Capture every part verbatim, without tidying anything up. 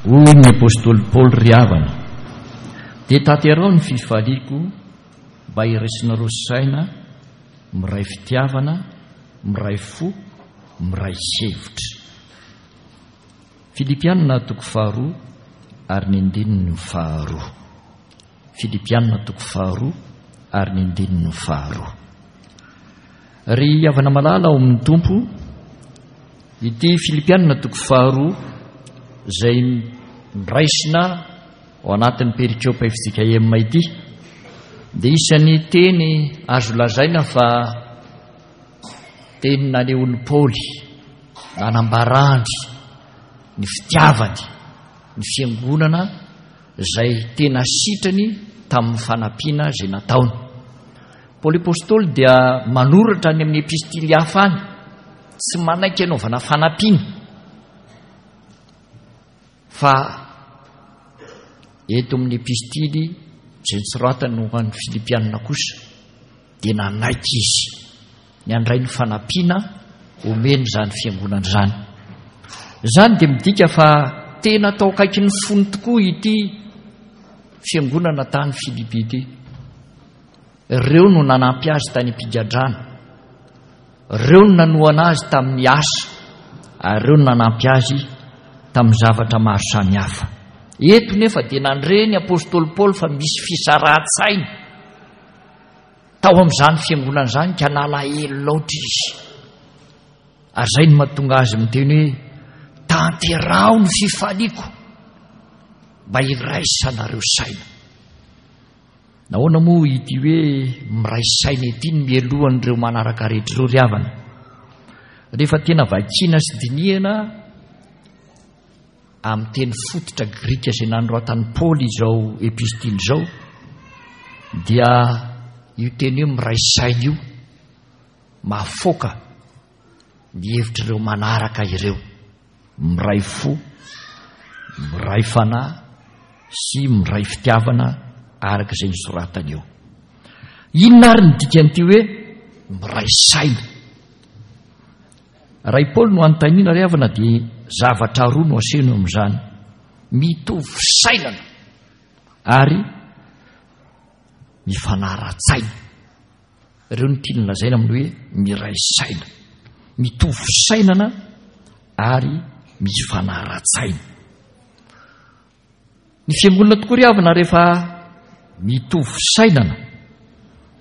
Hoy ny apostoly Paoly, ry havana, dia tanteraho ny fifaliako mba hiraisinareo saina, miray fitiavana, miray fo, miray hevitra. Filipianina toko faharoa ary ny andininy faharoa. Filipianina toko faharoa ary ny andininy faharoa. Ry havana malala ao amin'ny Tompo, ity Filipianina toko faharoa izay noraisina ao anatin'ny perikopa F J K M ity dia isan'ny teny azo lazaina fa teny nanehoan'i Paoly nanambarany ny fitiavany ny fiangonana izay tena sitrany tamin'ny fanampiana izay nataony. Paoly Apostoly dia manoratra any amin'ny epistily hafa any, tsy manaiky anaovana fanampiana, fa eto amin'ny epistily izay nosoratany ho an'ny Filipianina kosa dia nanaiky izy ny handray ny fanampiana omeny izany fiangonana izany. Izany dia midika fa tena tao akaikin'ny fony tokoa ity fiangonana tany Filipi ity. Ireo no nanampy azy tany am-pigadrana, ireo no nanohana azy tamin'ny asa, ary ireo no nanampy azy tamin'ny zavatra maro samihafa. Eto nefa dia nandre ny apostoly Paoly fa misy fisarahan-tsaina tao amin'izany fiangonana izany ka nalahelo loatra izy. Ary izay no mahatonga azy miteny hoe tanteraho ny fifaliako mba hiraisanareo saina. Nahoana moa ity hoe miray saina ity no mialohan'ireo manaraka rehetra ireo ry havana? Rehefa tena vakiana sy dinihana amin'ny teny fototra grika izay nanoratan'i Paoly izao epistily izao, dia io teny hoe miray saina io mahafoaka ny hevitr'ireo manaraka ireo, miray fo, miray fanahy sy miray fitiavana araka izay nosoratany eo. Inona ary ny dikan'ity hoe miray saina? Raha i Paoly no anontaniana ry havana dia zavatra roa no asehony eo amin'izany: mitovy fisainana ary mifanara-tsaina. Ireo no tiany lazaina amin'ny hoe miray saina, mitovy fisainana ary mifanara-tsaina. Ny fiangonana tokoa ry havana rehefa mitovy fisainana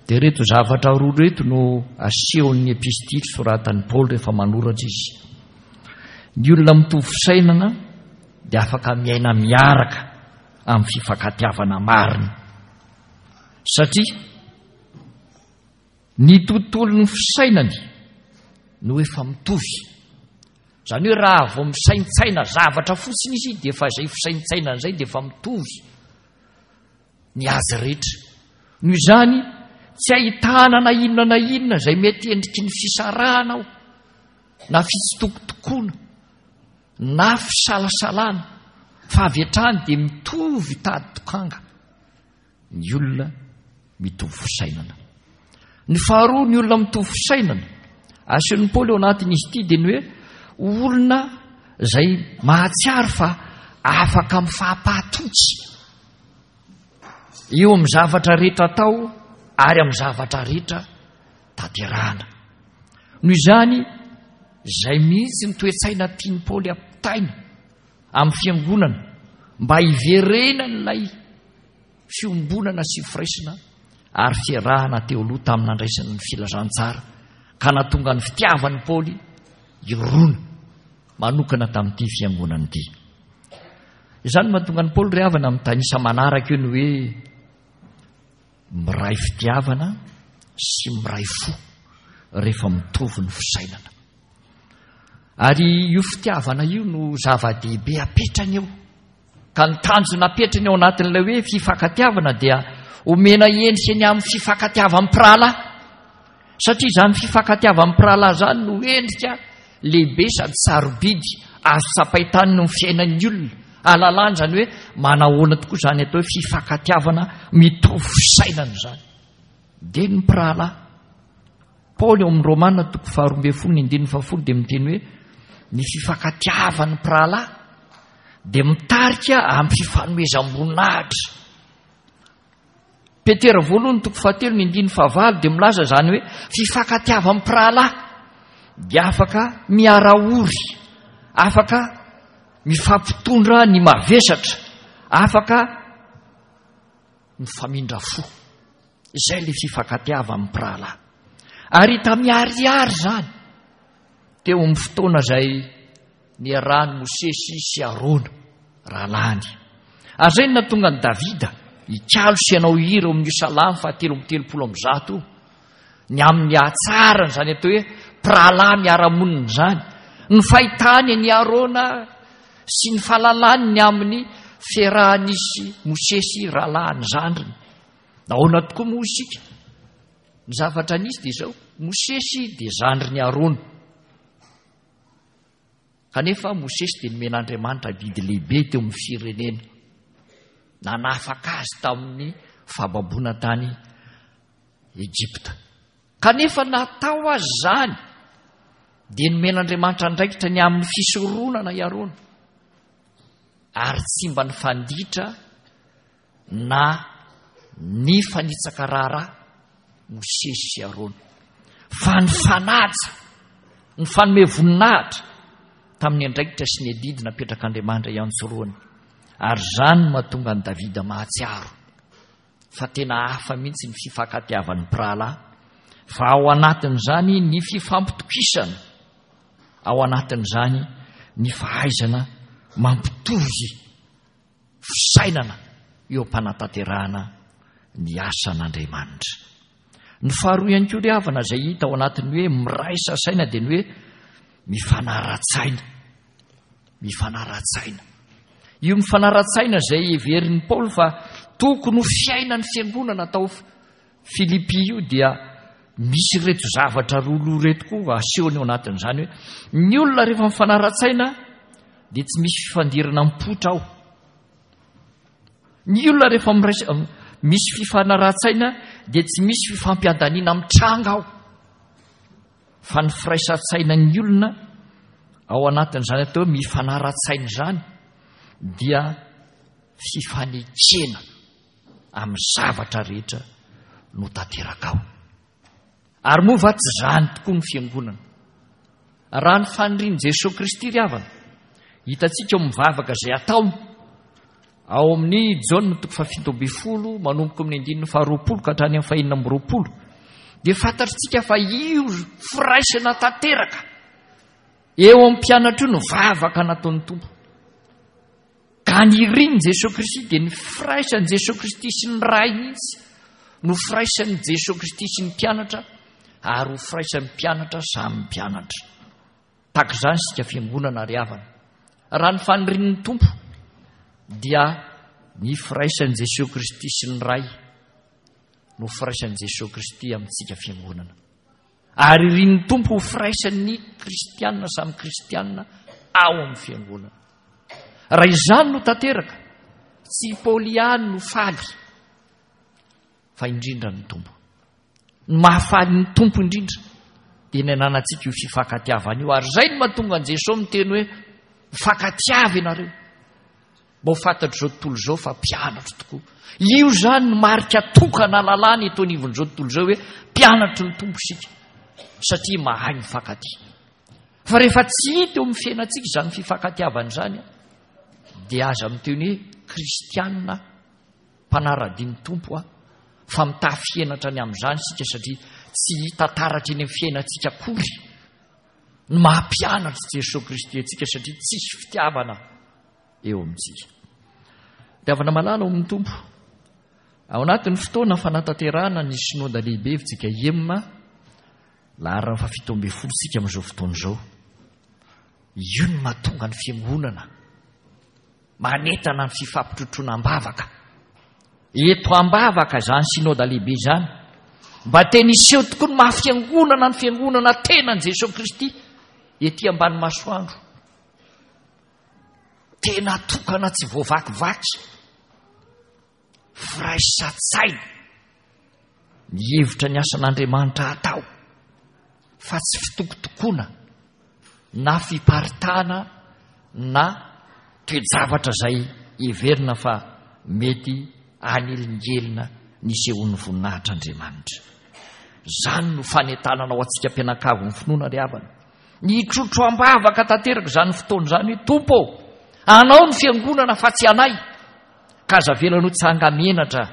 dia ireto zavatra roa ireto no asehon'ny epistily soratan'i Paoly rehefa manoratra izy. Ny olona mitovy fisainana dia afaka miaina miaraka amin'ny fifankatiavana marina, satria ny tontolon'ny fisainany no efa mitovy. Izany hoe raha vao misaintsaina zavatra fotsiny izy dia efa izay fisaintsainana izay dia efa mitovy ny azy rehetra. Noho izany tsy ahitana na inona na inona izay mety endriky ny fisarahana ao, na fitsitokotokoana, na fisalasalana, fa avy hatrany dia mitovy tady tokanga ny olona mitovy fisainana. Ny faharoa, ny olona mitovy fisainana asehon'i Paoly ao anatin'izy ity dia ny hoe olona izay mahatsiaro fa afaka mifampahatoky eo amin'ny zavatra rehetra atao ary amin'ny zavatra rehetra tanterahana. Noho izany, izay mihitsy ny toe-tsaina tian'i Paoly ampitaina amin'ny fiangonana mba hiverenan'ilay fiombonana sy firaisana ary fiarahana teo aloha tamin'ny nandraisana ny filazantsara ka nahatonga ny fitiavan'i Paoly hirona manokana tamin'ity fiangonana ity. Izany mahatonga an'i Paoly ry havana mitanisa manaraka eo ny hoe miray fitiavana sy miray fo rehefa mitovy ny fisainana. Ary io fitiavana io no zava-dehibe apetrany eo. Ka ny tanjona apetrany ao anatin'ilay hoe fifankatiavana dia omena endrika ny amin'ny fifankatiavan'ny mpirahalahy. Satria izany fifankatiavan'ny mpirahalahy izany no endrika lehibe sady sarobidy azo tsapain-tanana ny fiainan'ny olona. Ahalalana izany hoe manahoana tokoa izany atao hoe fifankatiavana mitovy fisainana izany. Dia ny mpirahalahy. Paoly ao amin'ny Romana toko faharoa ambin'ny folo ny andininy fahafolo dia miteny hoe ny fifankatiavan'ny mpirahalahy dia mitarika amin'ny fifanomezam-boninahitra. Petera voalohany toko fahatelo ny andininy fahavalo dia milaza izany hoe fifankatiavan'ny mpirahalahy dia afaka miara-ory, afaka mifampitondra ny mavesatra, afaka mifamindra fo. Izay ilay fifankatiavan'ny mpirahalahy. Ary hita miharihary izany teo amin'ny fotoana izay niarahan'i Mosesy sy Arona rahalahiny. Ary izay no nahatonga an'i Davida hikalo sy hanao hira ao amin'io salamo fahatelo amby telopolo amby zato io, ny amin'ny hatsarany izany atao hoe mpirahalahy miara-monina izany, ny fahitany an'i Arona sy ny fahalalany ny amin'ny fiarahan'izy Mosesy rahalahiny zandriny. Nahoana tokoa moa isika? Ny zavatra nisy dia izao, Mosesy dia zandrin'i Arona. Kanefa Mosesy dia nomen'Andriamanitra adidy lehibe teo amin'ny firenena. Nanafaka azy tamin'ny fahababoana tany Egypta. Kanefa natao azy izany dia nomen'Andriamanitra andraikitra ny amin'ny fisoronana i Arona. Ary tsy mba nifanditra na nifanitsaka raharaha Mosesy sy Arona, fa nifanaja, nifanome voninahitra tamin'ny andraikitra sy ny adidy napetrak'Andriamanitra iantsoroany. Ary izany no mahatonga an'i Davida mahatsiaro fa tena hafa mihitsy ny fifankatiavan'ny mpirahalahy, fa ao anatin'izany ny fifampitokisana, ao anatin'izany ny fahaizana mampitovy fisainana eo am-panatanterahana ny asan'Andriamanitra. Ny faharoa ihany koa ry havana izay hita ao anatin'ny hoe miraisa saina dia ny hoe mifanara-tsaina. Mifanara-tsaina. Io mifanara-tsaina izay heverin'i Paoly fa tokony ho fiainan'ny fiangonana tao Filipy io dia misy ireto zavatra roa loha ireto koa asehony ao anatin'izany hoe ny olona rehefa mifanara-tsaina dia tsy misy fifandirana mipoitra ao. Ny olona rehefa miraisa, misy fifanarahan-tsaina dia tsy misy fifampiandaniana mitranga ao. Fa ny firaisan-tsainan'ny olona ao anatin'izany atao hoe mifanara-tsaina izany dia fifanekena amin'ny zavatra rehetra no tanteraka ao. Ary moa va tsy izany tokoa ny fiangonana? Raha ny fanirian'i Jesoa Kristy ry havana, hitantsika ao amin'ny vavaka izay ataony ao amin'ny Jaona toko fahafito ambin'ny folo manomboka amin'ny andininy faharoapolo ka hatrany amin'ny fahenina amby roapolo, dia fantatritsika fa io firaisana tanteraka eo amin'ny mpianatra io no vavaka nataon'ny Tompo. Ka ny irin'i Jesoa Kristy dia ny firaisan'i Jesoa Kristy sy ny Ray mihitsy no firaisan'i Jesoa Kristy sy ny mpianatra ary ho firaisan'ny mpianatra samy mpianatra. Tahaka izany isika fiangonana ry havana. Raha ny fanirian'ny Tompo dia ny firaisan'i Jesoa Kristy sy ny Ray no firaisan'i Jesoa Kristy amintsika fiangonana. Ary irin'ny Tompo ho firaisan'ny kristianina samy kristianina ao amin'ny fiangonana. Raha izany no tanteraka, tsy i Paoly ihany no faly, fa indrindra ny Tompo. Ny mahafaly ny Tompo indrindra dia ny ananantsika io fifankatiavana io. Ary izay no mahatonga an'i Jesoa miteny hoe mifankatiava ianareo. Mba ho fantatr'izao tontolo izao fa mpianatro tokoa. Io izany no marika tokana lalàna eto anivon'izao tontolo izao hoe mpianatry ny Tompo isika, satria mahay mifankatia. Fa rehefa tsy hita eo amin'ny fiainantsika izany fifankatiavana izany, dia aza miteny hoe kristianina mpanara-dia ny Tompo aho, fa mitafy henatra ny amin'izany isika satria tsy hita taratra eny amin'ny fiainantsika akory ny maha mpianatry Jesoa Kristy antsika, satria tsisy fitiavana eo amintsika. Fitiavana malala ao amin'ny Tompo. Ao anatin'ny fotoana fanatanterahana ny synoda lehibe F J K M, laharana fahafito ambin'ny folo isika amin'izao fotoana izao. Io no mahatonga ny fiangonana manentana ny fifampitrotroana am-bavaka. Eto am-bavaka izany synoda lehibe izany. Mba tena hiseho tokoa ny maha fiangonana ny fiangonana tenan'i Jesoa Kristy ety ambany masoandro. Tena tokana tsy voavakivaky. Firaisan-tsaina. Mihevitra ny asan'Andriamanitra atao fa tsy fitokotokoana na fiparitahana na toe-javatra izay heverina fa mety hanelingelina ny hisehoan'ny voninahitr'Andriamanitra. Izany no fanentanana ho antsika mpianakavy ny finoana ry havana. Ny hitrotro am-bavaka tanteraka izany fotoana izany hoe Tompo ô, anao ny fiangonana fa tsy anay. Ka aza avela ho tsanga-menatra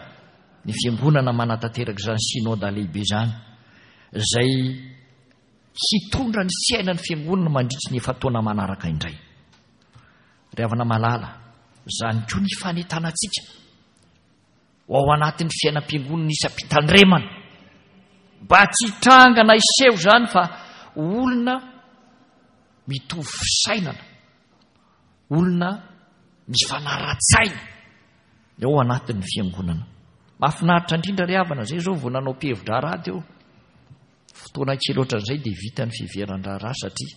ny fiangonana manatanteraka izany synoda lehibe izany, izay hitondra ny fiainan'ny fiangonana mandritry ny efa-taona manaraka indray. Ry havana malala, izany koa ny fanentanantsika ho ao anatin'ny fiainam-piangonana isam-pitandremana, mba tsy hitranga na hiseho izany fa olona mitovy fisainana, olona mifanara-tsaina ao anatin'ny fiangonana. Mahafinaritra indrindra ry havana, izay izao vao nanao mpihevi-draharaha teo. Fotoana kely ohatran'izay dia vita ny fiheveran-draharaha satria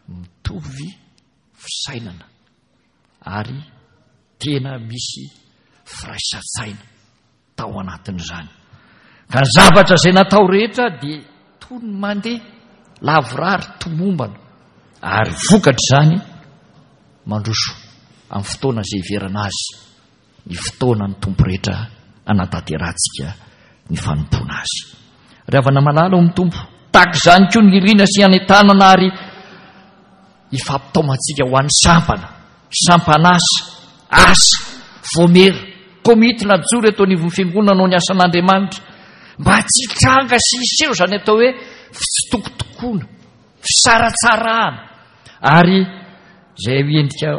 mitovy fisainana ary tena misy firaisan-tsaina tao anatin'izany. Ka ny zavatra izay natao rehetra dia toy ny mandeha lavorary tomombana ary vokatr'izany mandroso amin'ny fotoana izay hiverana azy ny fotoana ny Tompo rehetra hanatanterahantsika ny fanompoana azy. Ry havana malala ao amin'ny Tompo, tahaka izany koa ny irina sy hanentanana ary hifampitaomantsika ho an'ny sampana, sampan'asa, asa, voamera, komity najoro eto anivon'ny fiangonana hanao ny asan'Andriamanitra, mba tsy hitranga sy hiseho izany atao hoe fitsitokotokoana, fisaratsarahana, ary izay endrika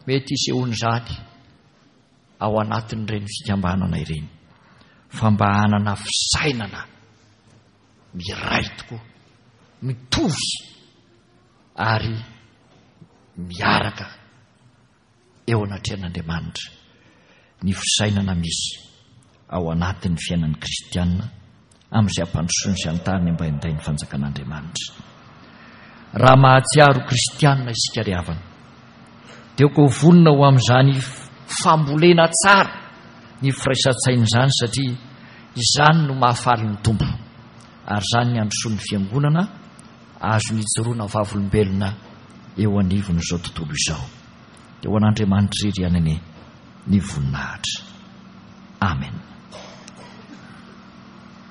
mety hisehoan'izany ao anatin'ireny fikambanana ireny, fa mba hanana fisainana miray tokoa, mitovy ary miaraka eo anatrehan'Andriamanitra ny fisainana misy ao anatin'ny fiainan'ny kristiana amin'izay hampandrosoany sy hanontany mba hinday ny fanjakan'Andriamanitra. Raha mahatsiaro kristiana isika ry havana, dia ko vonona ho amin'izany fambolena tsara ny firaisan-tsaina izany, satria izany no mahafaly ny Tompo, ary izany ny handrosoan'ny fiangonana azony ijoroana vavolombelona eo anivon'izao tontolo izao. Dia ho an'Andriamanitra irery ihany anie ny voninahitra. Amen.